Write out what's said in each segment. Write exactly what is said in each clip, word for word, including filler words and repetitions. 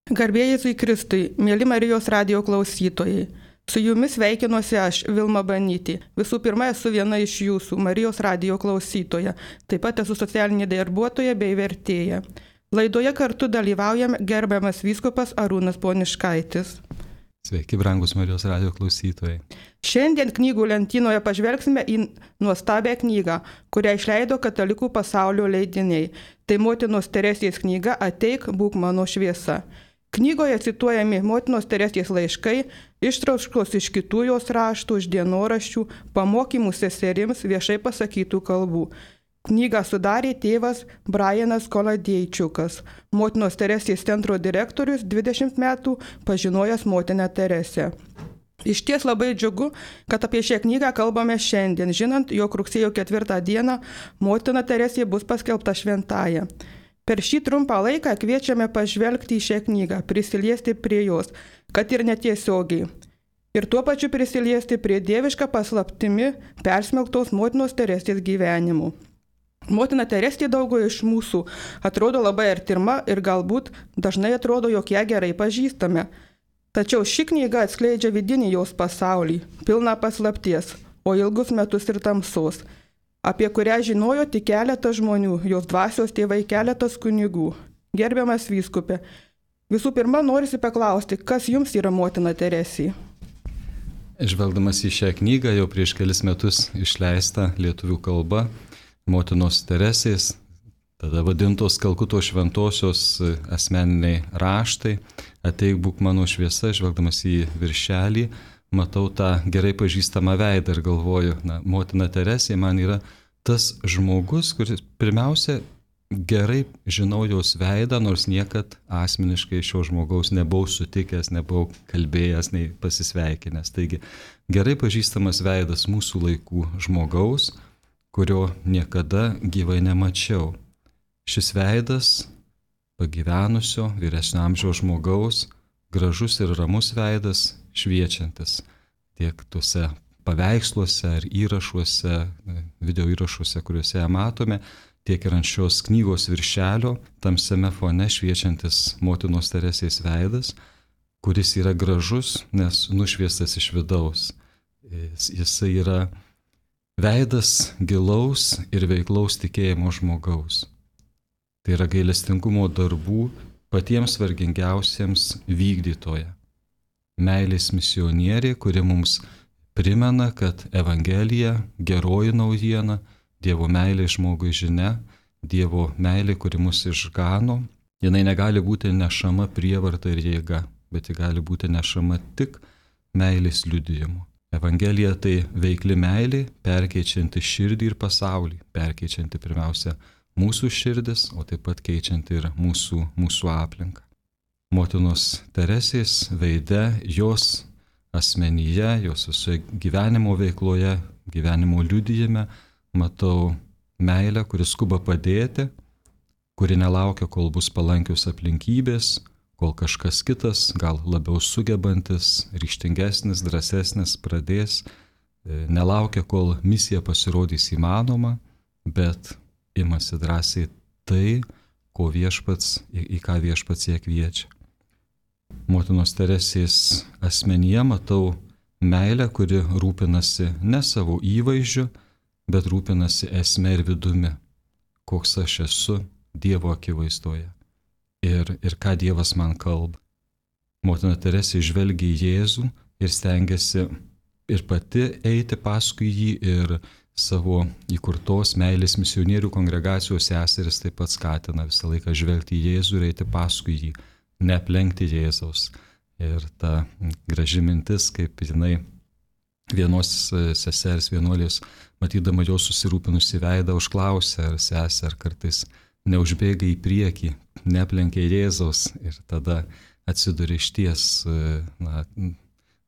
Garbė Jėzui Kristui, mėly Marijos radijo klausytojai. Su jumis sveikinuosi aš, Vilma Banytė. Visų pirma, esu viena iš jūsų, Marijos radijo klausytoja. Taip pat esu socialinė darbuotoja bei vertėja. Laidoje kartu dalyvaujame gerbiamas vyskupas Arūnas Poniškaitis. Sveiki, brangus Marijos radijo klausytojai. Šiandien knygų lentynoje pažvelgsime į nuostabią knygą, kurią išleido Katalikų pasaulio leidiniai. Tai motinos Teresės knyga Ateik, būk mano šviesa. Knygoje cituojami motinos Teresės laiškai, ištraukos iš kitų jos raštų, iš dienoraščių, pamokymų seserims viešai pasakytų kalbų. Knygą sudarė tėvas Brianas Koladėjčiukas, motinos Teresės centro direktorius, dvidešimt metų pažinojęs motiną Teresę. Iš ties labai džiugu, kad apie šią knygą kalbame šiandien, žinant, jog rugsėjo ketvirtą dieną motina Teresė bus paskelbta šventąja. Per šį trumpą laiką kviečiame pažvelgti į šią knygą, prisiliesti prie jos, kad ir netiesiogiai. Ir tuo pačiu prisiliesti prie dievišką paslaptimi persmelktos motinos Teresės gyvenimu. Motina Teresė daugelio iš mūsų atrodo labai artima ir galbūt dažnai atrodo, jog ją gerai pažįstame. Tačiau ši knyga atskleidžia vidinį jos pasaulį, pilną paslapties, o ilgus metus ir tamsos, apie kurią žinojo tik keletas žmonių, jos dvasios tėvai, keletas kunigų. Gerbiamas vyskupė, visų pirma norisi paklausti, kas jums yra motina Teresė? Žvelgdamas į šią knygą, jau prieš kelis metus išleista lietuvių kalba, motinos Teresės, tada vadintos Kalkuto šventosios asmeniniai raštai, Ateik, būk mano šviesa, žvelgdamas į viršelį, matau tą gerai pažįstamą veidą ir galvoju, na, motina Teresė man yra tas žmogus, kuris pirmiausia gerai žinau jos veidą, nors niekad asmeniškai šio žmogaus nebuvau sutikęs, nebuvau kalbėjęs, nei pasisveikinęs. Taigi gerai pažįstamas veidas mūsų laikų žmogaus, kurio niekada gyvai nemačiau. Šis veidas pagyvenusio vyresnio amžiaus žmogaus, gražus ir ramus veidas, šviečiantis tiek tuose paveiksluose ar įrašuose, video įrašuose, kuriuose ją matome, tiek ir ant šios knygos viršelio, tamsiame fone šviečiantis motinos Teresės veidas, kuris yra gražus, nes nušviestas iš vidaus. Jisai yra veidas gilaus ir veiklaus tikėjimo žmogaus. Tai yra gailestingumo darbų patiems vargingiausiems vykdytoja. Meilės misionierė, kuri mums primena, kad Evangelija, geroji naujiena, Dievo meilė žmogui žinia, Dievo meilė, kuri mus išgano, jinai negali būti nešama prievarta ir jėga, bet ji gali būti nešama tik meilės liudijimu. Evangelija tai veikli meilė, perkeičianti širdį ir pasaulį, perkeičianti pirmiausia mūsų širdis, o taip pat keičianti ir mūsų, mūsų aplinką. Motinos Teresės veide, jos asmenyje, jos visoje gyvenimo veikloje, gyvenimo liudijime matau meilę, kuri skuba padėti, kuri nelaukia, kol bus palankios aplinkybės, kol kažkas kitas, gal labiau sugebantis, ryžtingesnis, drąsesnis pradės, nelaukia, kol misija pasirodys įmanoma, bet imasi drąsiai tai, ko viešpats, į, į ką viešpats ją kviečia. Motinos Teresės asmenyje matau meilę, kuri rūpinasi ne savo įvaizdžiu, bet rūpinasi esme ir vidumi, koks aš esu Dievo akivaizdoje ir, ir ką Dievas man kalba. Motina Teresė žvelgia į Jėzų ir stengiasi ir pati eiti paskui jį, ir savo įkurtos meilės misionierių kongregacijos seseris taip pat skatina visą laiką žvelgti į Jėzų ir eiti paskui jį, neaplenkti Jėzaus. Ir ta graži mintis, kaip jinai vienos sesers vienuolės, matydama jo susirūpinusi veidą, užklausė, ar sesė, ar kartais neužbėga į priekį, neaplenkė Jėzaus, ir tada atsiduria išties na,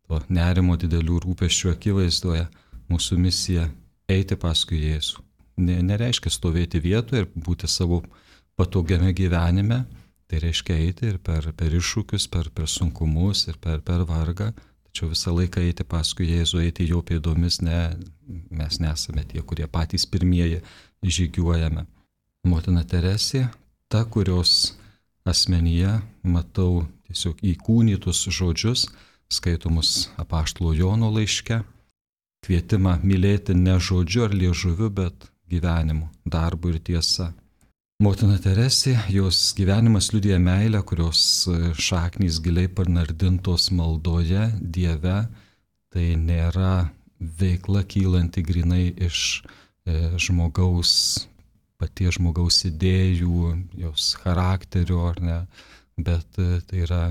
to nerimo didelių rūpesčių akivaizdoje. Mūsų misija eiti paskui Jėzų. Ne, nereiškia stovėti vietoje ir būti savo patogiame gyvenime, tai reiškia eiti ir per, per iššūkius, per, per sunkumus ir per, per vargą, tačiau visą laiką eiti paskui Jėzų, eiti jo pėdomis, ne, mes nesame tie, kurie patys pirmieji žygiuojame. Motina Teresė, ta, kurios asmenyje matau tiesiog įkūnytus žodžius, skaitomus apaštalo Jono laiške, kvietimą mylėti ne žodžiu ar liežuviu, bet gyvenimu, darbu ir tiesa. Motina Teresė, jos gyvenimas liudija meilę, kurios šaknys giliai panardintos maldoje, Dieve, tai nėra veikla kylanti grinai iš e, žmogaus, paties žmogaus idėjų, jos charakterio, ar ne, bet e, tai yra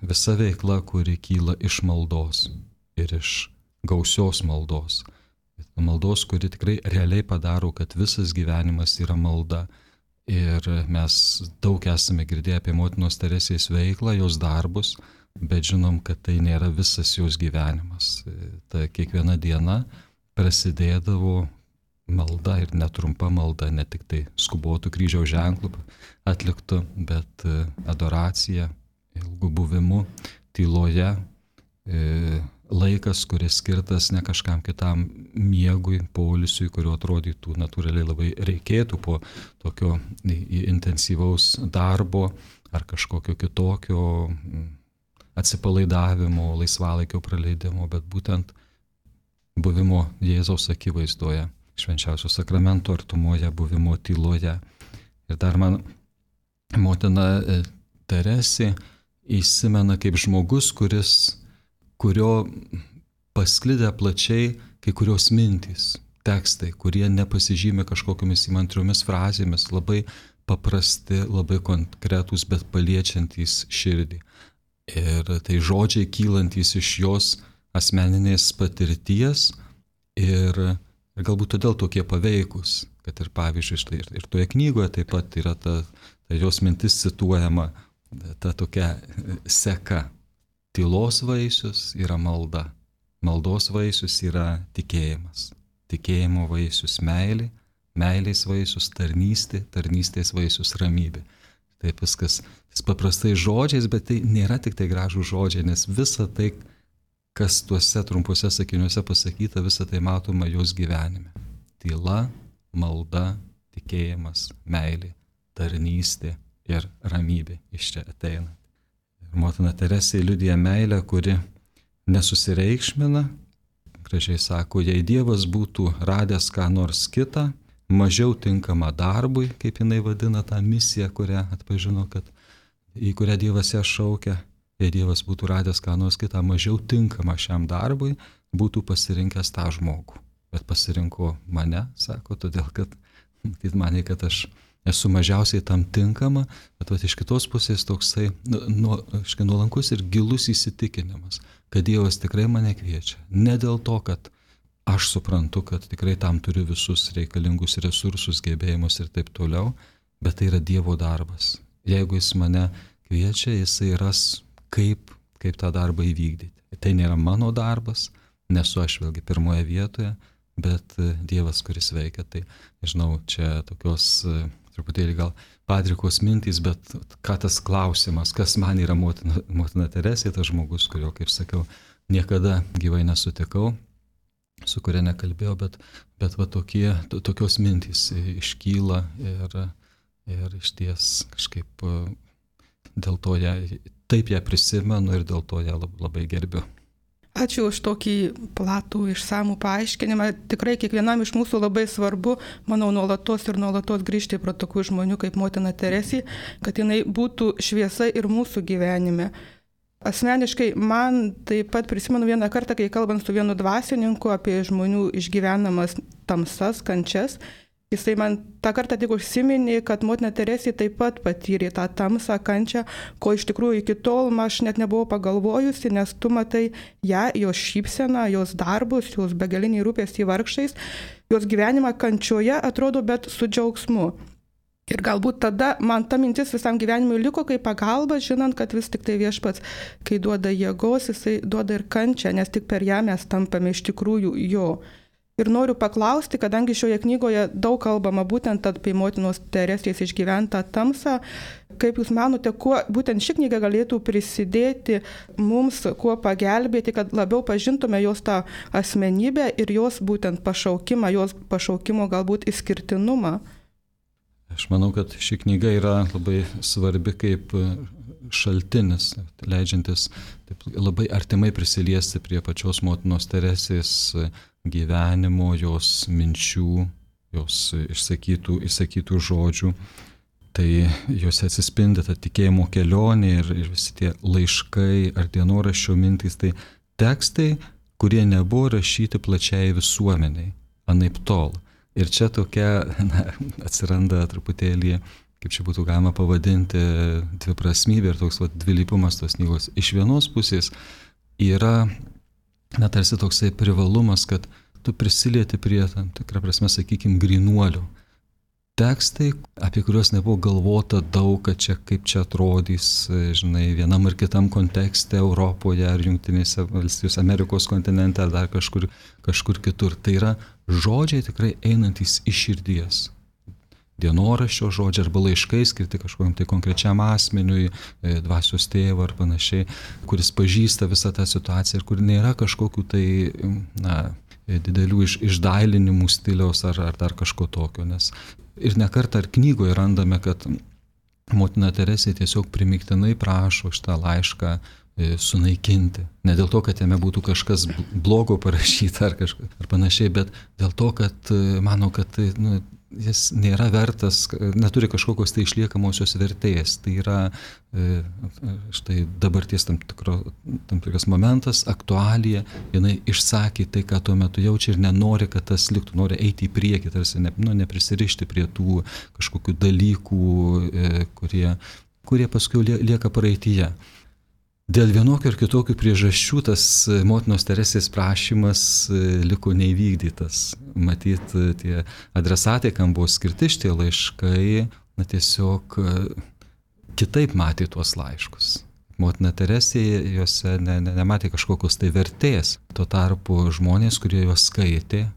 visa veikla, kuri kyla iš maldos ir iš gausios maldos. Maldos, kuri tikrai realiai padaro, kad visas gyvenimas yra malda. Ir mes daug esame girdėję apie motinos Teresės veiklą, jos darbus, bet žinom, kad tai nėra visas jos gyvenimas. Ta kiekviena diena prasidėdavo malda ir netrumpa malda, ne tik tai skubotų kryžiaus ženklų atliktų, bet adoracija, ilgų buvimu, tyloje, laikas, kuris skirtas ne kažkam kitam miegui, poilsiui, kurio atrodytų natūraliai labai reikėtų po tokio intensyvaus darbo ar kažkokio kitokio atsipalaidavimo, laisvalaikio praleidimo, bet būtent buvimo Jėzaus akivaizdoje, švenčiausio sakramento artumoje, buvimo tyloje. Ir dar man motina Teresė įsimena kaip žmogus, kuris kurio pasklidę plačiai kai kurios mintys, tekstai, kurie nepasižymė kažkokiamis įmantriomis frazėmis, labai paprasti, labai konkretūs, bet paliečiantys širdį. Ir tai žodžiai kylantys iš jos asmeninės patirties ir, ir galbūt todėl tokie paveikus, kad ir pavyzdžiui, štai ir, ir toje knygoje taip pat yra ta, ta jos mintis cituojama, ta tokia seka. Tylos vaisius yra malda, maldos vaisius yra tikėjimas, tikėjimo vaisius meilė, meilės vaisius tarnystė, tarnystės vaisius ramybė. Taip viskas paprastai žodžiais, bet tai nėra tik tai gražų žodžiai, nes visa tai, kas tuose trumpuose sakiniuose pasakyta, visa tai matoma jos gyvenime. Tyla, malda, tikėjimas, meilė, tarnystė ir ramybė iš čia ateina. Motina Teresė liudija meilę, kuri nesusireikšmina, gražiai sako, jei Dievas būtų radęs ką nors kitą, mažiau tinkamą darbui, kaip jinai vadina tą misiją, kurią atpažino, kad į kurią Dievas ją šaukia, jei Dievas būtų radęs ką nors kitą, mažiau tinkamą šiam darbui, būtų pasirinkęs tą žmogų. Bet pasirinko mane, sako, todėl, kad jis manė, kad aš esu mažiausiai tam tinkama, bet vat, iš kitos pusės toksai nu, nuolankus ir gilus įsitikinimas, kad Dievas tikrai mane kviečia. Ne dėl to, kad aš suprantu, kad tikrai tam turiu visus reikalingus resursus, gebėjimus ir taip toliau, bet tai yra Dievo darbas. Jeigu jis mane kviečia, jisai ras, kaip, kaip tą darbą įvykdyti. Tai nėra mano darbas, nesu aš vėlgi pirmoje vietoje, bet Dievas, kuris veikia. Tai, žinau, čia tokios truputėlį gal padrikos mintys, bet ką tas klausimas, kas man yra motina, motina Teresė, tas žmogus, kurio, kaip sakiau, niekada gyvai nesutikau, su kuria nekalbėjau, bet, bet va tokie, to, tokios mintys iškyla ir, ir iš ties kažkaip dėl to ją, taip ją prisimenu ir dėl to ją labai gerbiu. Ačiū už tokį platų išsamų paaiškinimą. Tikrai kiekvienam iš mūsų labai svarbu, manau, nuolatos ir nuolatos grįžti prie tokių žmonių kaip motina Teresė, kad jinai būtų šviesa ir mūsų gyvenime. Asmeniškai man taip pat prisimenu vieną kartą, kai kalbant su vienu dvasininku apie žmonių išgyvenamas tamsas, kančias, jisai man tą kartą tik užsiminė, kad motina Teresė taip pat patyrė tą tamsą, kančią, ko iš tikrųjų iki tol aš net nebuvau pagalvojusi, nes tu matai ją, jos šypseną, jos darbus, jos begalinį rūpestį vargšais, jos gyvenimą kančioje atrodo, bet su džiaugsmu. Ir galbūt tada man ta mintis visam gyvenimui liko kaip pagalba, žinant, kad vis tik tai Viešpats, kai duoda jėgos, jisai duoda ir kančią, nes tik per ją mes tampame iš tikrųjų jo. Ir noriu paklausti, kadangi šioje knygoje daug kalbama būtent apie motinos Teresės išgyventą tamsą, kaip Jūs manote, kuo būtent ši knyga galėtų prisidėti mums, kuo pagelbėti, kad labiau pažintume jos tą asmenybę ir jos būtent pašaukimą, jos pašaukimo galbūt išskirtinumą? Aš manau, kad ši knyga yra labai svarbi kaip šaltinis, leidžiantis taip, labai artimai prisiliesti prie pačios motinos Teresės gyvenimo, jos minčių, jos išsakytų, išsakytų žodžių. Tai juose atsispindi ta tikėjimo kelionė ir, ir visi tie laiškai ar dienoraščio mintys, tai tekstai, kurie nebuvo rašyti plačiai visuomeniai, anaip tol. Ir čia tokia, na, atsiranda truputėlį, kaip čia būtų galima pavadinti, dviprasmybė ir toks va, dvilypumas tos knygos. Iš vienos pusės yra, na, tarsi toksai privalumas, kad tu prisilieti prie tam tikrą prasme, sakykime, grynuolių. Tekstai, apie kuriuos nebuvo galvota daug, kad čia kaip čia atrodys, žinai, vienam ar kitam kontekste Europoje ar Jungtinėse valstijose, Amerikos kontinente ar dar kažkur, kažkur kitur. Tai yra žodžiai tikrai einantys iš širdies. Dienoraščio žodžiai arba laiškai skirti kažkokiam tai konkrečiam asmeniui, dvasios tėvą ar panašiai, kuris pažįsta visą tą situaciją ir kur nėra kažkokių tai, na, didelių iš, išdailinimų stiliaus ar, ar dar kažko tokio. Nes ir nekartą ar knygoje randame, kad motina Teresė tiesiog primygtinai prašo šitą laišką sunaikinti. Ne dėl to, kad jame būtų kažkas blogo parašyta ar, kažkas, ar panašiai, bet dėl to, kad mano, kad nu, jis nėra vertas, neturi kažkokios tai išliekamosios vertės. Tai yra štai dabarties tam, tikro, tam tikras momentas, aktualija, jinai išsakė tai, ką tuo metu jaučia ir nenori, kad tas liktų, nori eiti į priekį, tarsi ne, nu, neprisirišti prie tų kažkokių dalykų, kurie, kurie paskui lieka praeityje. Dėl vienokių ir kitokių priežasčių tas motinos Teresės prašymas liko neįvykdytas. Matyt, tie adresatai, kam buvo skirti šitie laiškai, na tiesiog kitaip matė tuos laiškus. Motina Teresė juose ne, ne, nematė kažkokios tai vertės. Tuo tarpu žmonės, kurie juos skaitė,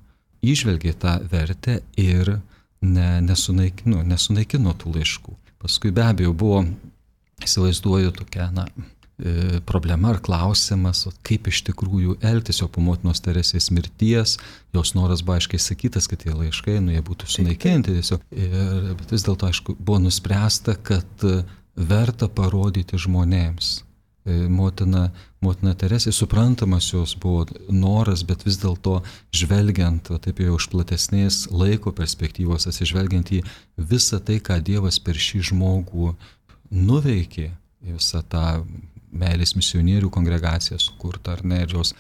įžvelgė tą vertę ir ne, nesunaikino, nesunaikino tų laiškų. Paskui be abejo buvo, įsivaizduoju, tokia, na, problema ar klausimas, kaip iš tikrųjų elgtis jau po motinos Teresės mirties. Jos noras buvo aiškiai sakytas, kad tie laiškai, nu, jie būtų sunaikinti tiesiog. Ir, bet vis dėlto, aišku, buvo nuspręsta, kad verta parodyti žmonėms. Motina, motina Teresė, suprantamas jos buvo noras, bet vis dėlto žvelgiant, taip jau iš platesnės laiko perspektyvos, atsižvelgiant į visą tai, ką Dievas per šį žmogų nuveikė, visą tą meilės misionierių kongregaciją sukurta, ar ne, ir jos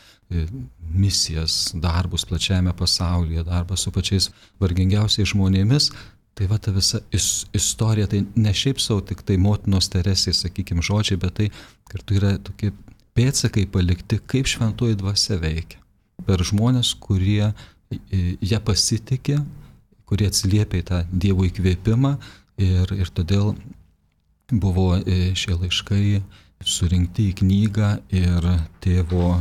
misijas, darbus plačiame pasaulyje, darbas su pačiais vargingiausiais žmonėmis, tai va ta visa is, istorija, tai ne šiaip savo tik tai motinos Teresės, sakykime, žodžiai, bet tai kartu yra tokie pėdsakai palikti, kaip šventoji dvasia veikia. Per žmonės, kurie ją pasitikė, kurie atsiliepia į tą Dievo įkvėpimą ir, ir todėl buvo šie laiškai surinkti į knygą ir tėvo,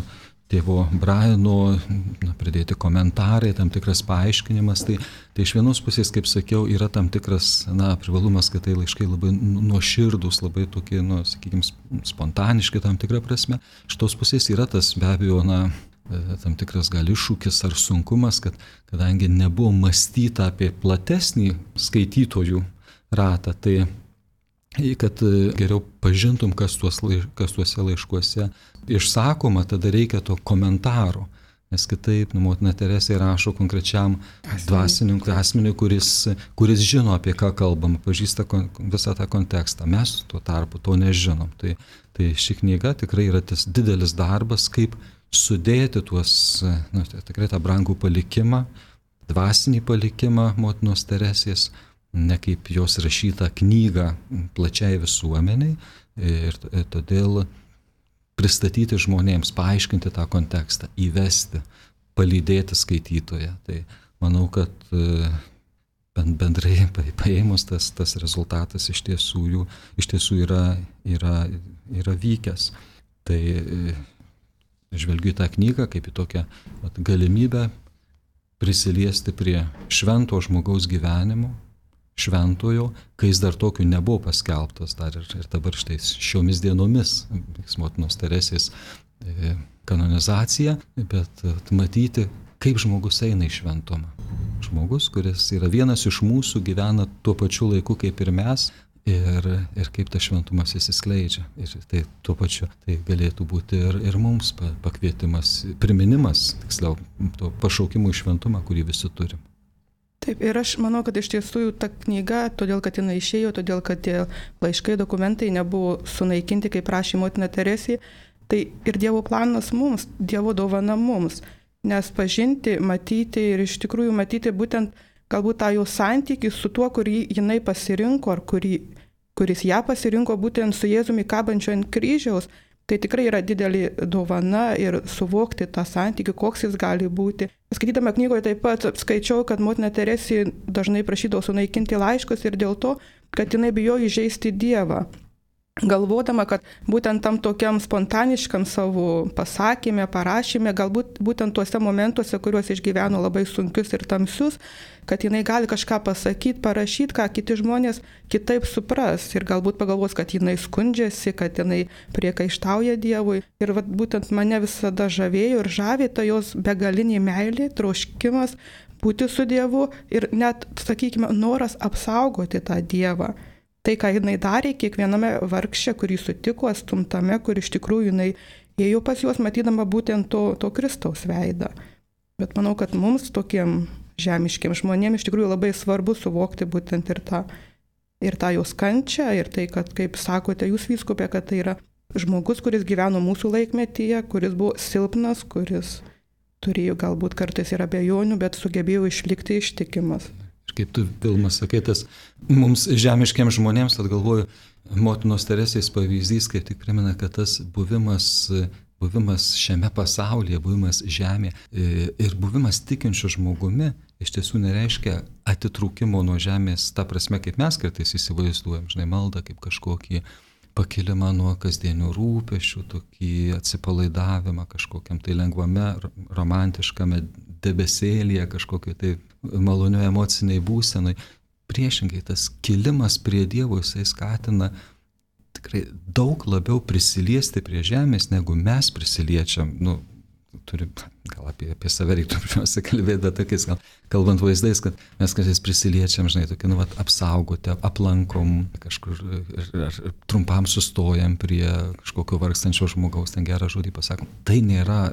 tėvo Briano na, pridėti komentarai, tam tikras paaiškinimas. Tai, tai iš vienos pusės, kaip sakiau, yra tam tikras na, privalumas, kad tai laiškai labai nuoširdus, labai tokie, nu, sakykime, spontaniški tam tikrą prasme. Iš tos pusės yra tas be abejo, na, tam tikras gal iššūkis ar sunkumas, kad kadangi nebuvo mąstyta apie platesnį skaitytojų ratą, tai kad geriau pažintum, kas, tuos, kas tuose laiškuose išsakoma, tada reikia to komentaro. Nes kitaip, nu, motina Teresė rašo konkrečiam dvasininkui, asmeniui, kuris, kuris žino, apie ką kalbam, pažįsta visą tą kontekstą. Mes tuo tarpu to nežinom. Tai, tai ši knyga tikrai yra tas didelis darbas, kaip sudėti tuos, nu, tikrai tą brangų palikimą, dvasinį palikimą motinos Teresės, ne kaip jos rašytą knygą plačiai visuomeniai ir todėl pristatyti žmonėms, paaiškinti tą kontekstą, įvesti, palydėti skaitytoją. Tai manau, kad bendrai paėmus tas, tas rezultatas iš tiesų, jų, iš tiesų yra, yra, yra vykęs. Tai žvelgiu į tą knygą kaip į tokią vat, galimybę prisiliesti prie švento žmogaus gyvenimo, šventojo, kai jis dar tokiu nebuvo paskelbtas, dar ir, ir dabar štai šiomis dienomis motinos Teresės kanonizacija, bet matyti, kaip žmogus eina į šventumą. žmogus, kuris yra vienas iš mūsų, gyvena tuo pačiu laiku kaip ir mes. Ir, ir kaip tas šventumas įsiskleidžia. Ir tai tuo pačiu tai galėtų būti ir, ir mums pakvietimas, priminimas, tiksliau, to pašaukimų į šventumą, kurį visi turim. Taip, ir aš manau, kad iš tiesų ta knyga, todėl kad jinai išėjo, todėl kad tie laiškai, dokumentai nebuvo sunaikinti, kaip prašė motina Teresė, tai ir Dievo planas mums, Dievo dovana mums, nes pažinti, matyti ir iš tikrųjų matyti būtent galbūt tą jau santykį su tuo, kurį jinai pasirinko, ar kurį, kuris ją pasirinko būtent su Jėzumi kabančiu ant kryžiaus, tai tikrai yra didelė dovana ir suvokti tą santykį, koks jis gali būti. Skaitydama knygoje taip pat skaičiau, kad motina Teresė dažnai prašydavo sunaikinti laiškus ir dėl to, kad jinai bijojo įžeisti Dievą. Galvodama, kad būtent tam tokiam spontaniškam savo pasakymė, parašymė, galbūt būtent tuose momentuose, kuriuos išgyveno labai sunkius ir tamsius, kad jinai gali kažką pasakyti, parašyti, ką kiti žmonės kitaip supras ir galbūt pagalvos, kad jinai skundžiasi, kad jinai priekaištauja Dievui. Ir vat, būtent mane visada žavėjo ir žavė ta jos begalinė meilė, troškimas būti su Dievu ir net, sakykime, noras apsaugoti tą Dievą. Tai, ką jinai darė kiekviename vargše, kurį sutiko, stumtame, kur iš tikrųjų jinai ėjo pas juos, matydama būtent to, to Kristaus veidą. Bet manau, kad mums tokiem žemiškiem žmonėm iš tikrųjų labai svarbu suvokti būtent ir tą, ir tą jos kančią, ir tai, kad, kaip sakote jūs vyskupė, kad tai yra žmogus, kuris gyveno mūsų laikmetyje, kuris buvo silpnas, kuris turėjo galbūt kartais ir abejonių, bet sugebėjo išlikti ištikimas. Kaip tu, Vilma, sakai, tas mums žemiškiams žmonėms, tad galvoju, motinos Teresės pavyzdys, kaip tik primena, kad tas buvimas, buvimas šiame pasaulyje, buvimas žemėje ir buvimas tikinčiu žmogumi iš tiesų nereiškia atitrūkimo nuo žemės, ta prasme, kaip mes kartais įsivaizduojam, žinai, maldą kaip kažkokį pakilimą nuo kasdienių rūpesčių, tokį atsipalaidavimą kažkokiam tai lengvame, romantiškame debesėlyje, kažkokio tai malonių emociniai būsenai. Priešingai, tas kilimas prie Dievo, jisai skatina tikrai daug labiau prisiliesti prie žemės, negu mes prisiliečiam. Nu, turim, gal apie, apie save reiktų pirmiausia kalbėti, bet tokiais, gal, kalbant vaizdais, kad mes kartais prisiliečiam, žinai, tokį, nu, vat, apsaugoti, aplankom kažkur ir, ir trumpam sustojam prie kažkokio vargstančio žmogaus, ten gerą žodį pasakom. Tai nėra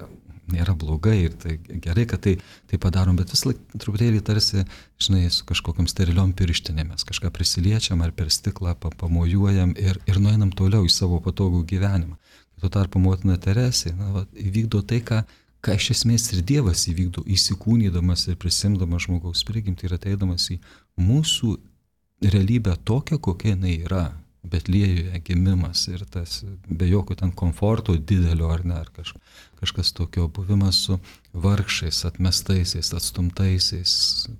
nėra blogai ir tai gerai, kad tai, tai padarom, bet vis laik truputėlį tarsi, žinai, su kažkokiam steriliom pirštinėmis, kažką prisiliečiam ar per stiklą pamojuojam ir, ir nueinam toliau į savo patogų gyvenimą. Tuo tarpu motina Teresė, na, va, įvykdo tai, ką, ką iš esmės ir Dievas įvykdo, įsikūnydamas ir prisimdamas žmogaus prigimtį ir ateidamas į mūsų realybę tokią, kokia jinai yra. Betliejuje gimimas ir tas be jokio ten komforto didelio ar ne, ar kaž, kažkas tokio, buvimas su vargšais, atmestaisiais, atstumtaisiais,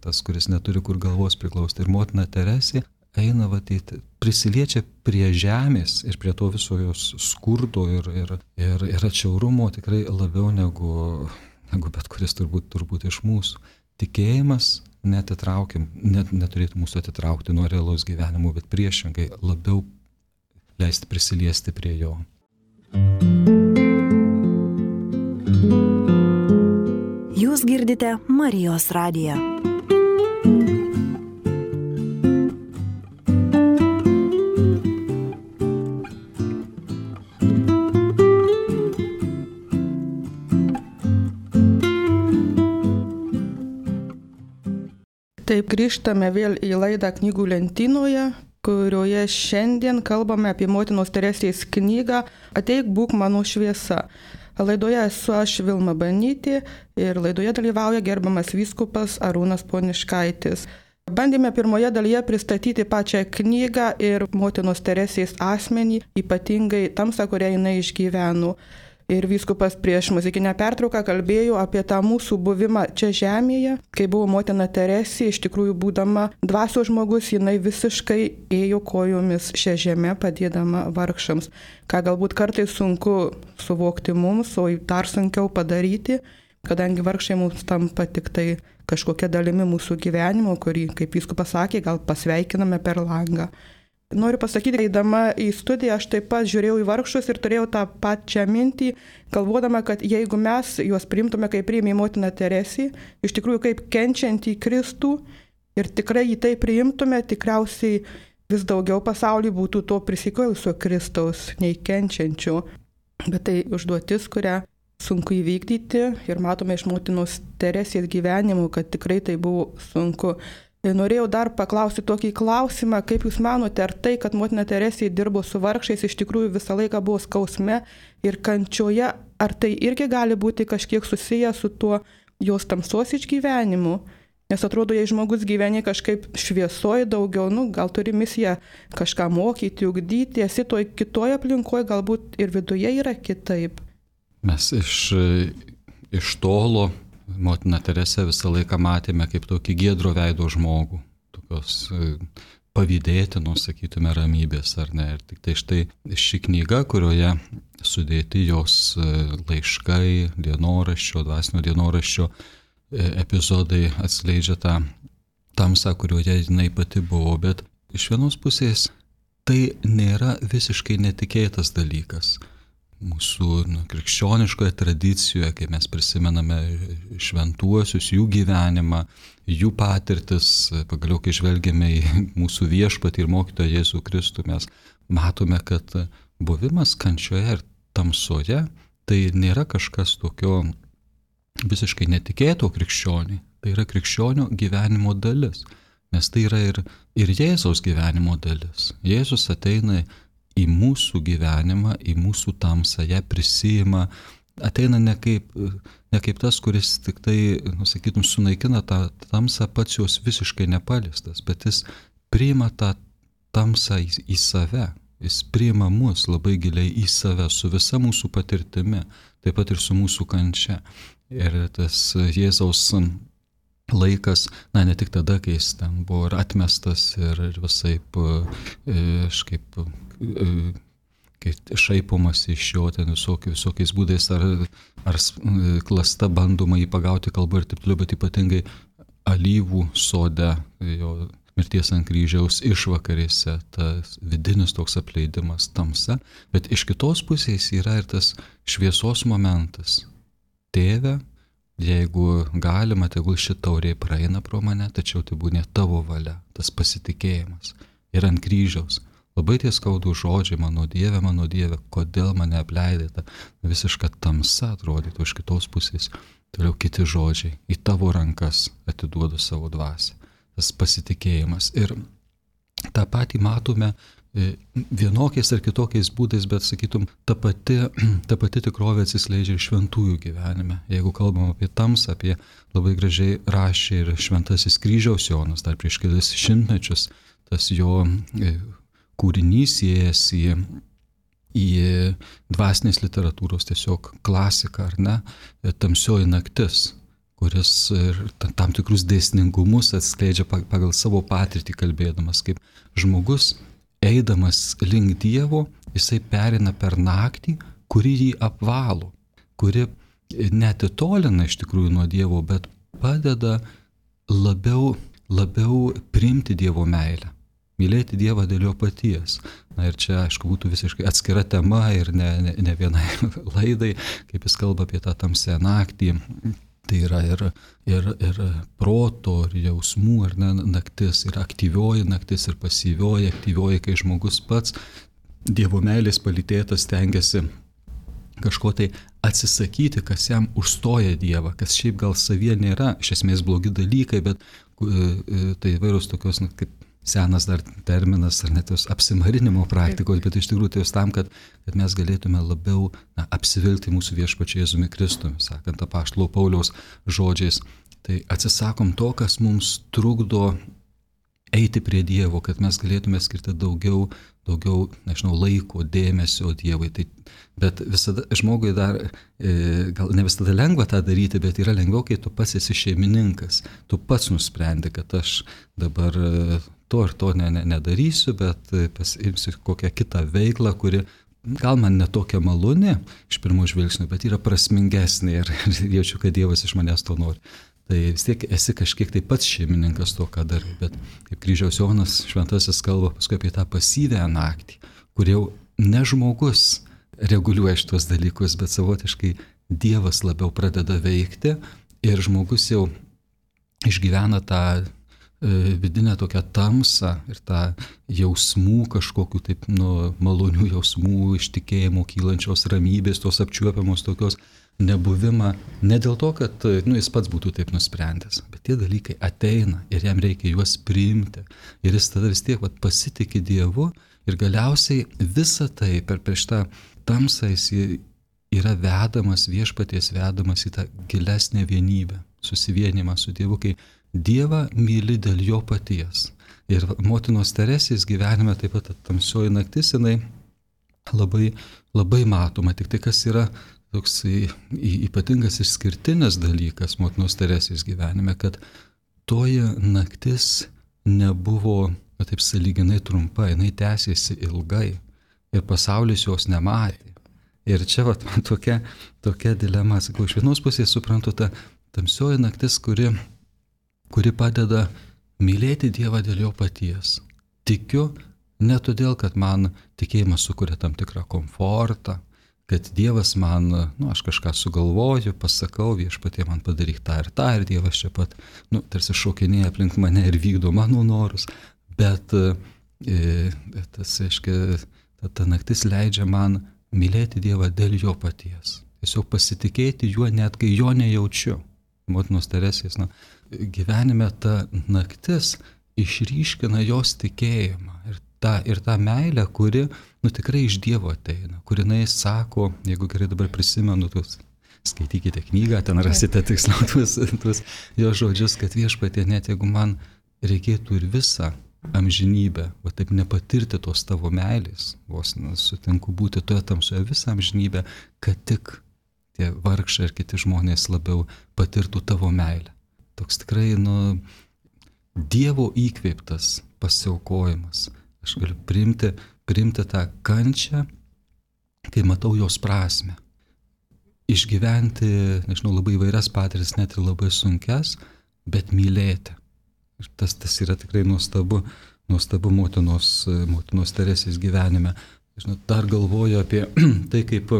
tas, kuris neturi kur galvos priklausti. Ir motina Teresė eina, vatyti, prisiliečia prie žemės ir prie to viso jos skurdo ir, ir, ir, ir atšiaurumo tikrai labiau negu, negu bet kuris turbūt, turbūt iš mūsų. Tikėjimas netitraukim, net, neturėtų mūsų atitraukti nuo realaus gyvenimo, bet priešingai labiau leisti prisiliesti prie jo. Jūs girdite Marijos radiją. Taip, grįžtame vėl į laidą Knygų lentynoje, kurioje šiandien kalbame apie motinos Teresės knygą Ateik, būk mano šviesa. Laidoje esu aš, Vilma Banytė, ir laidoje dalyvauja gerbiamas vyskupas Arūnas Poniškaitis. Bandėme pirmoje dalyje pristatyti pačią knygą ir motinos Teresės asmenį, ypatingai tamsą, kurią jinai išgyveno. Ir vyskupas prieš muzikinę pertrauką kalbėjo apie tą mūsų buvimą čia žemėje, kai buvo motina Teresė, iš tikrųjų būdama dvasios žmogus, jinai visiškai ėjo kojomis šią žemę, padėdama vargšams, ką galbūt kartais sunku suvokti mums, o dar sunkiau padaryti, kadangi vargšai mums tampa tik tai kažkokia dalimi mūsų gyvenimo, kurį, kaip vyskupas sakė, gal pasveikiname per langą. Noriu pasakyti, eidama į studiją, aš taip pat žiūrėjau į vargšus ir turėjau tą pačią mintį, galvodama, kad jeigu mes juos priimtume, kaip priėmė motiną Teresį, iš tikrųjų kaip kenčiantį Kristų ir tikrai jį tai priimtume, tikriausiai vis daugiau pasaulyje būtų to prisikėlusio Kristaus, nei kenčiančio. Bet tai užduotis, kurią sunku įvykdyti ir matome iš motinos Teresės gyvenimų, kad tikrai tai buvo sunku. Norėjau dar paklausti tokį klausimą, kaip Jūs manote, ar tai, kad motina Teresė dirbo su vargšais, iš tikrųjų visą laiką buvo skausme ir kančioje, ar tai irgi gali būti kažkiek susiję su tuo jos tamsos išgyvenimu? Nes atrodo, jei žmogus gyveni kažkaip šviesoje daugiau, nu, gal turi misiją kažką mokyti, ugdyti, esi toj kitoje aplinkoje, galbūt ir viduje yra kitaip. Mes iš, iš tolo motiną Teresę visą laiką matėme kaip tokį giedro veido žmogų, tokios pavydėtinos, sakytume, ramybės, ar ne. Ir tik tai štai ši knyga, kurioje sudėti jos laiškai, dienoraščio, dvasinio dienoraščio epizodai atskleidžia tą tamsą, kurioje jinai pati buvo, bet iš vienos pusės tai nėra visiškai netikėtas dalykas. Mūsų nu, krikščioniškoje tradicijoje, kai mes prisimename šventuosius, jų gyvenimą, jų patirtis, pagaliau kai žvelgiame į mūsų viešpatį ir mokytoją Jėzų Kristų, mes matome, kad buvimas kančioje ir tamsoje tai nėra kažkas tokio visiškai netikėto krikščioniui, tai yra krikščionio gyvenimo dalis, nes tai yra ir, ir Jėzaus gyvenimo dalis. Jėzus ateina į mūsų gyvenimą, į mūsų tamsą, ją prisijima, ateina ne kaip, ne kaip tas, kuris tik tai, nu, sakytum, sunaikina tą tamsą, pats jos visiškai nepaliestas, bet jis priima tą tamsą į, į save, jis priima mus labai giliai į save, su visa mūsų patirtimi, taip pat ir su mūsų kančia. Ir tas Jėzaus laikas, na, ne tik tada, kai jis ten buvo ir atmestas ir, ir visaip, aš kaip kai šaipomas iš jo ten visokiais, visokiais būdais ar, ar klasta bandoma jį pagauti kalbą ir taip toliau, bet ypatingai alyvų sode, jo mirties ant kryžiaus išvakarėse, tas vidinis toks apleidimas, tamsa, bet iš kitos pusės yra ir tas šviesos momentas. Tėve, jeigu galima, tegul ši taurė praeina pro mane, tačiau tai būna tavo valia, tas pasitikėjimas. Ir ant kryžiaus. Labai tie skaudų žodžiai, mano Dieve, mano Dieve, kodėl mane apleidėte, visiška tamsa atrodytų iš kitos pusės. Toliau kiti žodžiai, į tavo rankas atiduodu savo dvasią. Tas pasitikėjimas. Ir tą patį matome vienokiais ar kitokiais būdais, bet, sakytum, ta pati, ta pati tikrovė atsiskleidžia ir šventųjų gyvenime. Jeigu kalbam apie tamsą, apie labai gražiai rašė ir šventasis Kryžiaus Jonas, dar prieš kelis šimtmečius, tas jo kūrinys įėjęs į, į dvasinės literatūros tiesiog klasiką, ar ne, Tamsioji naktis, kuris tam tikrus dėsningumus atskleidžia pagal savo patirtį kalbėdamas, kaip žmogus eidamas link Dievo, jisai perina per naktį, kuri jį apvalo, kuri netitolina iš tikrųjų nuo Dievo, bet padeda labiau, labiau priimti Dievo meilę. Mylėti Dievą dėl jo paties. Na ir čia, aišku, būtų visiškai atskira tema ir ne, ne, ne vienai laidai, kaip jis kalba apie tą tamsią naktį. Tai yra ir, ir, ir proto, ir jausmų, ir ne, naktis, ir aktyvioji naktis, ir pasyvioji, aktyvioji, kai žmogus pats Dievo meilės palytėtas stengiasi kažko tai atsisakyti, kas jam užstoja Dievą, kas šiaip gal savyje nėra, iš esmės blogi dalykai, bet tai įvairūs tokios, na, kaip senas dar terminas, ar net tos apsimarinimo praktikos, bet iš tikrųjų tai jos tam, kad, kad mes galėtume labiau na, apsivilti mūsų viešpačiu Jėzumi Kristumi, sakant apaštalo Pauliaus žodžiais. Tai atsisakom to, kas mums trukdo eiti prie Dievo, kad mes galėtume skirti daugiau, daugiau, nežinau, laiko, dėmesio Dievui. Tai, bet visada žmogui dar, e, gal ne visada lengva tą daryti, bet yra lengviau, kai tu pats esi šeimininkas. Tu pats nusprendi, kad aš dabar to ir to ne, ne, nedarysiu, bet pasiimsiu kokią kitą veiklą, kuri gal man netokia maloni iš pirmo žvilgsnio, bet yra prasmingesnė ir, ir jaučiu, kad Dievas iš manęs to nori. tai vis tiek esi kažkiek tai pats šeimininkas to, ką darai. Bet kaip Kryžiaus Jonas Šventasis kalba paskui apie tą pasyvę naktį, kur jau ne žmogus reguliuoja šitos dalykus, bet savotiškai Dievas labiau pradeda veikti ir žmogus jau išgyvena tą vidinę tokią tamsą ir tą jausmų kažkokių taip, nu, malonių jausmų, iš tikėjimo kylančios ramybės, tos apčiuopiamos tokios nebuvimą, ne dėl to, kad nu, jis pats būtų taip nusprendęs, bet tie dalykai ateina ir jam reikia juos priimti ir jis tada vis tiek vat, pasitikė Dievu ir galiausiai visą tai per prieš tą tamsą jis yra vedamas, viešpaties vedamas į tą gilesnę vienybę, susivienimą su Dievu, kai Dievą myli dėl jo paties. Ir motinos Teresės gyvenime taip pat tamsioji naktis, jinai labai, labai matoma. Tik tai kas yra toks ypatingas išskirtinis dalykas motinos Teresės gyvenime, kad toji naktis nebuvo taip sąlyginai trumpa, jinai tęsėsi ilgai ir pasaulis jos nematė. Ir čia vat, tokia, tokia dilema, sakau, iš vienos pusės suprantu tą tamsioji naktis, kuri kuri padeda mylėti Dievą dėl jo paties. Tikiu ne todėl, kad man tikėjimas sukuria tam tikrą komfortą, kad Dievas man, nu, aš kažką sugalvoju, pasakau, viešpatie man padaryk tą ir tą, ir Dievas čia pat, nu, tarsi šokinėja aplink mane ir vykdo mano norus, bet e, tas, aiškiai, ta, ta naktis leidžia man mylėti Dievą dėl jo paties. Tiesiog pasitikėti juo, net kai jo nejaučiu. Motinos Teresės, nu, gyvenime ta naktis išryškina jos tikėjimą ir tą, ir tą meilę, kuri nu, tikrai iš Dievo ateina, kur jinai sako, jeigu gerai dabar prisimenu, tuos, skaitykite knygą, ten rasite tiksliau tuos, tuos jo žodžius, kad viešpatie, net jeigu man reikėtų ir visą amžinybę, va taip nepatirti tos tavo meilės, vos sutinku būti toje tamsoje visą amžinybę, kad tik tie vargšai ir kiti žmonės labiau patirtų tavo meilę. Toks tikrai, nu, Dievo įkvėptas pasiaukojimas. Aš galiu priimti, priimti tą kančią, kai matau jos prasmę. Išgyventi, nežinau, labai įvairias patirtis, net ir labai sunkias, bet mylėti. Ir tas, tas yra tikrai nuostabu, nuostabu motinos, motinos Teresės gyvenime. Žinau, dar galvoju apie tai, kaip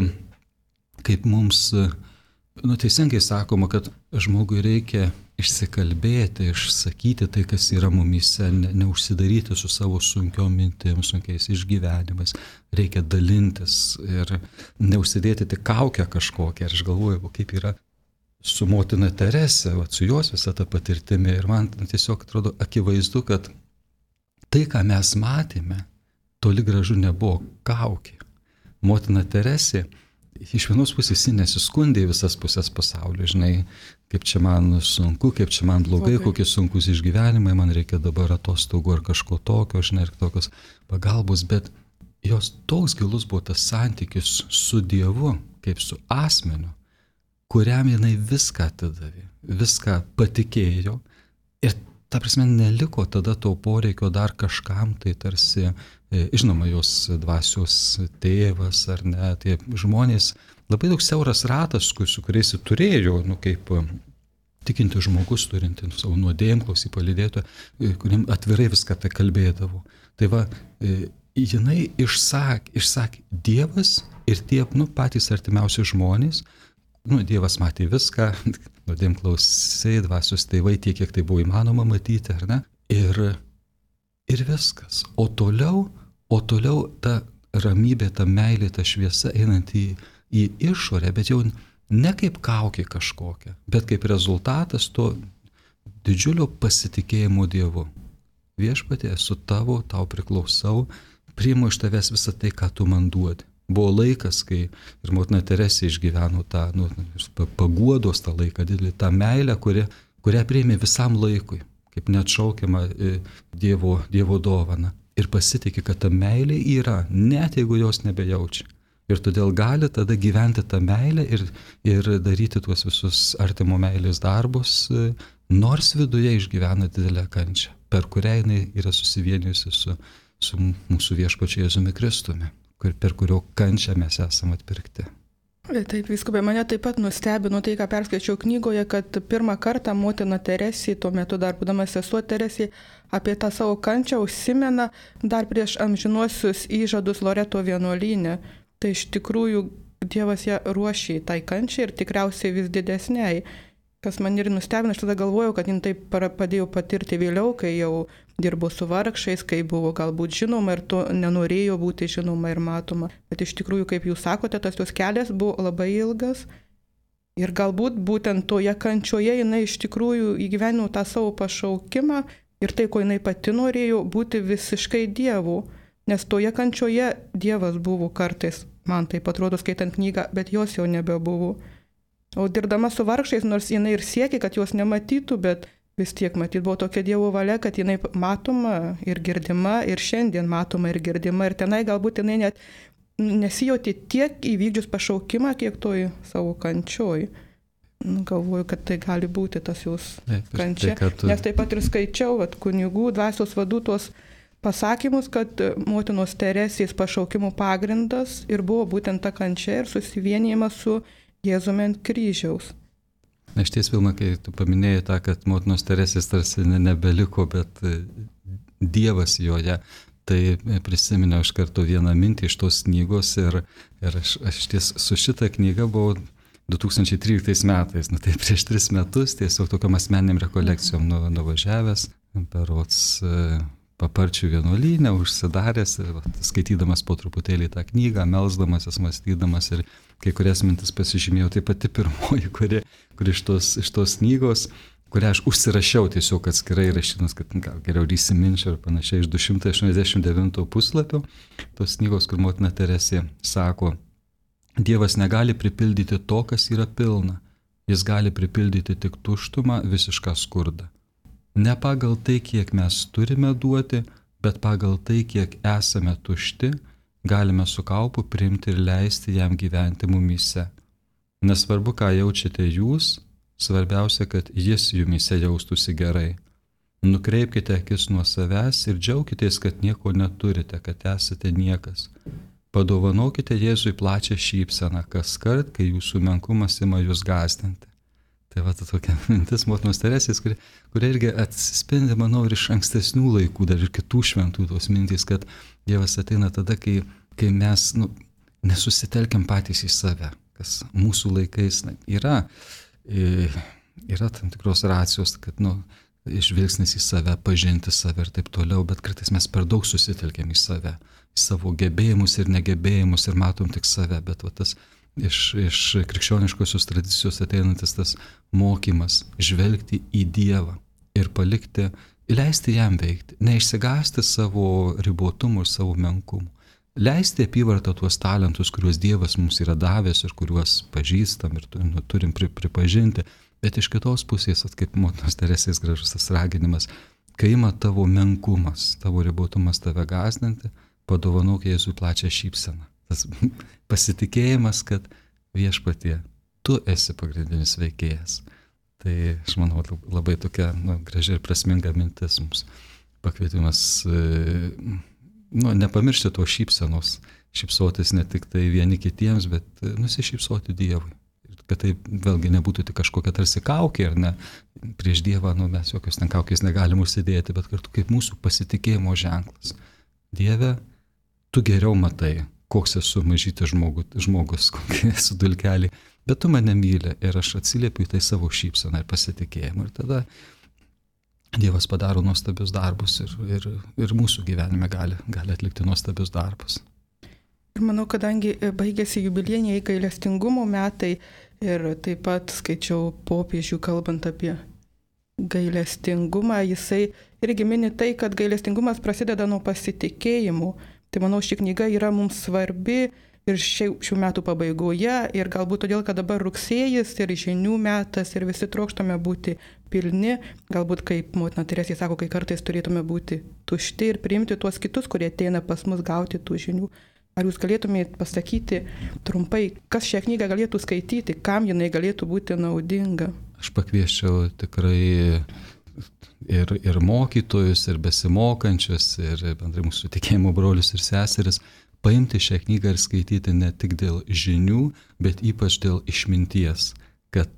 kaip mums, nu, teisingai sakoma, kad žmogui reikia išsikalbėti, išsakyti tai, kas yra mumyse, ne, neužsidaryti su savo sunkiom mintim, sunkiais išgyvenimais, reikia dalintis ir neužsidėti tik kaukę kažkokią. Ir aš galvoju, kaip yra su motina Terese, va, su jos visą tą patirtimį. Ir man tiesiog atrodo akivaizdu, kad tai, ką mes matėme, toli gražu nebuvo kaukė. Motina Teresė iš vienos pusės jis nesiskundė visas pusės pasaulio, žinai, kaip čia man sunku, kaip čia man blogai, okay. Kokie sunkus išgyvenimai, man reikia dabar atostogų ar kažko tokio, žinai, ir tokios pagalbos, bet jos toks gilus buvo tas santykis su Dievu, kaip su asmeniu, kuriam jinai viską atidavė, viską patikėjo ir ta prasme neliko tada to poreikio dar kažkam, tai tarsi, žinoma, jos dvasios tėvas ar ne, tie žmonės, labai daug siauras ratas, su kuriais jis turėjo, nu kaip tikinti žmogus, turinti savo nuodėmklausį palydėtoją, kuriem atvirai viską tai kalbėdavo. Tai va, jinai išsakė, išsakė Dievas ir tie, nu, patys artimiausi žmonės, nu, Dievas matė viską, nuodėmklausiai, dvasios tėvai, tiek, kiek tai buvo įmanoma matyti, ar ne? Ir, ir viskas. O toliau, o toliau ta ramybė, ta meilė, ta šviesa einant į, į išorę, bet jau ne kaip kaukė kažkokia, bet kaip rezultatas to didžiulio pasitikėjimo Dievu. Viešpatie, esu tavo, tau priklausau, priimu iš tavęs visą tai, ką tu man duodi. Buvo laikas, kai ir motina Teresė išgyveno tą, nu, paguodos tą laiką, didelį, tą meilę, kuri, kurią priėmė visam laikui, kaip neatšaukiama Dievo, Dievo dovana. Ir pasitikė, kad ta meilė yra, net jeigu jos nebejaučia. Ir todėl gali tada gyventi tą meilę ir, ir daryti tuos visus artimo meilės darbus, nors viduje išgyvena didelę kančią, per kurią jinai yra susivienijusi su, su mūsų viešpačiu Jėzumi Kristumi, per kurio kančią mes esame atpirkti. Taip, vyskupė, mane taip pat nustebino tai, ką perskaičiau knygoje, kad pirmą kartą motina Teresė, tuo metu dar būdama sesuo Teresė, apie tą savo kančią užsimena dar prieš amžinuosius įžadus Loreto vienuolyne. Tai iš tikrųjų Dievas ją ruošė tai kančiai ir tikriausiai vis didesniai. Kas man ir nustebino, aš tada galvojau, kad jin taip padėjo patirti vėliau, kai jau dirbo su vargšais, kai buvo galbūt žinoma ir to nenorėjo būti žinoma ir matoma. Bet iš tikrųjų, kaip jūs sakote, tas jos kelias buvo labai ilgas ir galbūt būtent toje kančioje jinai iš tikrųjų įgyvenino tą savo pašaukimą ir tai, ko jinai pati norėjo, būti visiškai Dievu. Nes toje kančioje Dievas buvo kartais, man taip atrodo skaitant knygą, bet jos jau nebebuvo. O dirbdama su vargšais, nors jinai ir siekė, kad jos nematytų, bet vis tiek matyt buvo tokia Dievo valia, kad jinai matoma ir girdima, ir šiandien matoma ir girdima. Ir tenai galbūt jinai net nesijauti tiek įvykdžius pašaukimą, kiek toj savo kančioj. Nu, galvoju, kad tai gali būti tas jos kančia. Tai, tu... Nes taip pat ir skaičiau, vat, kunigų, dvasios vadų tos pasakymus, kad motinos Teresės pašaukimų pagrindas ir buvo būtent ta kančia ir susivienijimas su Jėzumi ant kryžiaus. Na, iš ties, Vilma, kai tu paminėjai tą, kad motinos Teresės tarsi nebeliko, bet Dievas joje, tai prisiminiau iš karto vieną mintį iš tos knygos ir, ir aš, aš ties su šitą knygą buvau du tūkstančiai tryliktais metais, nu tai prieš tris metus tiesiog tokiam asmeniniam rekolekcijom nu, nuvažiavęs, berods Paparčių vienuolyne, užsidaręs, va, skaitydamas po truputėlį tą knygą, melsdamasis, mąstydamas ir kai kurias mintis pasižymėjau, tai pati pirmoji, kuri, kuri iš, tos, iš tos knygos, kurią aš užsirašiau tiesiog atskirai rašydamas, kad gal geriau įsiminčiau ir panašiai, iš du šimtai aštuoniasdešimt devinto puslapio tos knygos, kur motina Teresė sako, Dievas negali pripildyti to, kas yra pilna, jis gali pripildyti tik tuštumą, visišką skurdą. Ne pagal tai, kiek mes turime duoti, bet pagal tai, kiek esame tušti, galime su kaupu priimti ir leisti jam gyventi mumyse. Nesvarbu, ką jaučiate jūs, svarbiausia, kad jis jumyse jaustųsi gerai. Nukreipkite akis nuo savęs ir džiaukitės, kad nieko neturite, kad esate niekas. Padovanokite Jėzui plačią šypseną, kas kart, kai jūsų menkumas ima jūs gąsdinti. Tai va, ta tokia mintis motinos Teresės, kuri, kuri irgi atsispindi, manau, ir iš ankstesnių laikų, dar ir kitų šventų tos mintys, kad Dievas ateina tada, kai, kai mes nu, nesusitelkiam patys į save, kas mūsų laikais na, yra, yra tam tikros racijos, kad nu, žvilgsnis į save, pažinti save ir taip toliau, bet kartais mes per daug susitelkiam į save, į savo gebėjimus ir negebėjimus ir matom tik save, bet va, tas Iš, iš krikščioniškosios tradicijos ateinantis tas mokymas žvelgti į Dievą ir palikti, leisti jam veikti, neišsigąsti savo ribotumų ir savo menkumų, leisti apyvartą tuos talentus, kuriuos Dievas mums yra davęs ir kuriuos pažįstam ir nu, turim pri, pripažinti, bet iš kitos pusės, kaip motinos Teresės gražus tas raginimas, kai ima tavo menkumas, tavo ribotumas tave gąsdinti, padovanok Jėzui plačią šypseną. Tas pasitikėjimas, kad viešpatie, tu esi pagrindinis veikėjas. Tai aš manau labai tokia nu, graži ir prasminga mintis mums. Pakvietimas nu, nepamiršti to šypsenos, šypsotis ne tik tai vieni kitiems, bet nusišypsoti Dievui. Ir kad tai vėlgi nebūtų tik kažkokia tarsi kaukė, ar ne, prieš Dievą nu, mes jokios ten kaukės negalim užsidėti, bet kartu kaip mūsų pasitikėjimo ženklas. Dieve, tu geriau matai, koks esu mažytis žmogus, žmogus kokie esu dulkelį, bet tu mane myli ir aš atsiliepiu į tai savo šypseną ir pasitikėjimą. Ir tada Dievas padaro nuostabius darbus ir, ir, ir mūsų gyvenime gali, gali atlikti nuostabius darbus. Ir manau, kadangi baigėsi jubiliejiniai gailestingumo metai ir taip pat skaičiau popiežių kalbant apie gailestingumą, jisai irgi mini tai, kad gailestingumas prasideda nuo pasitikėjimų. Tai manau, ši knyga yra mums svarbi ir šių, šių metų pabaigoje ir galbūt todėl, kad dabar rugsėjis ir žinių metas ir visi trokštame būti pilni, galbūt kaip motina Teresė sako, kai kartais turėtume būti tušti ir priimti tuos kitus, kurie ateina pas mus gauti tų žinių. Ar jūs galėtumėte pasakyti trumpai, kas šią knygą galėtų skaityti, kam jinai galėtų būti naudinga? Aš pakvieščiau tikrai ir, ir mokytojus, ir besimokančius, ir bendrai mūsų tikėjimo brolius ir seseris paimti šią knygą ir skaityti ne tik dėl žinių, bet ypač dėl išminties, kad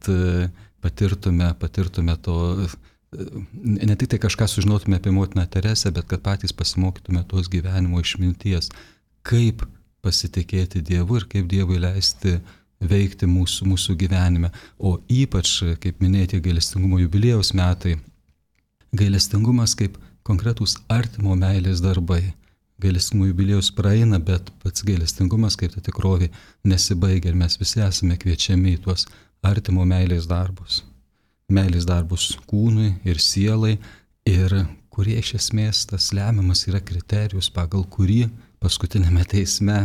patirtume, patirtume to, ne tik tai kažką sužinotume apie motiną Teresę, bet kad patys pasimokytume tos gyvenimo išminties, kaip pasitikėti Dievu ir kaip Dievui leisti veikti mūsų, mūsų gyvenime. O ypač, kaip minėti, gailestingumo jubiliejaus metai, gailestingumas kaip konkretūs artimo meilės darbai. Gailestingumo jubiliejus praeina, bet pats gailestingumas kaip ta tikrovė nesibaigia ir mes visi esame kviečiami į tuos artimo meilės darbus. Meilės darbus kūnui ir sielai, ir kurie iš esmės tas lemiamas yra kriterijus, pagal kurį paskutinėme teisme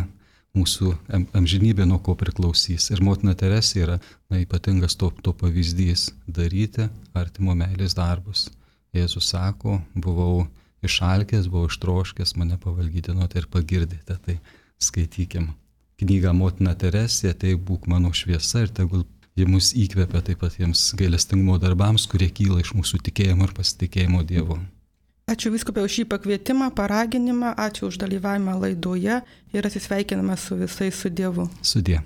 mūsų amžinybė nuo ko priklausys. Ir motina Teresė yra na, ypatingas to, to pavyzdys - daryti artimo meilės darbus. Jėzus sako, buvau išalkęs, buvau ištroškęs, mane pavalgydinote ir pagirdėte. Tai skaitykim knygą Motina Teresė, tai būk mano šviesa ir tegul ji mus įkvepia taip pat jiems gailestingumo darbams, kurie kyla iš mūsų tikėjimo ir pasitikėjimo Dievu. Ačiū vyskupė už šį pakvietimą, paraginimą, ačiū už dalyvavimą laidoje ir atsisveikiname su visais su Dievu. Sudie.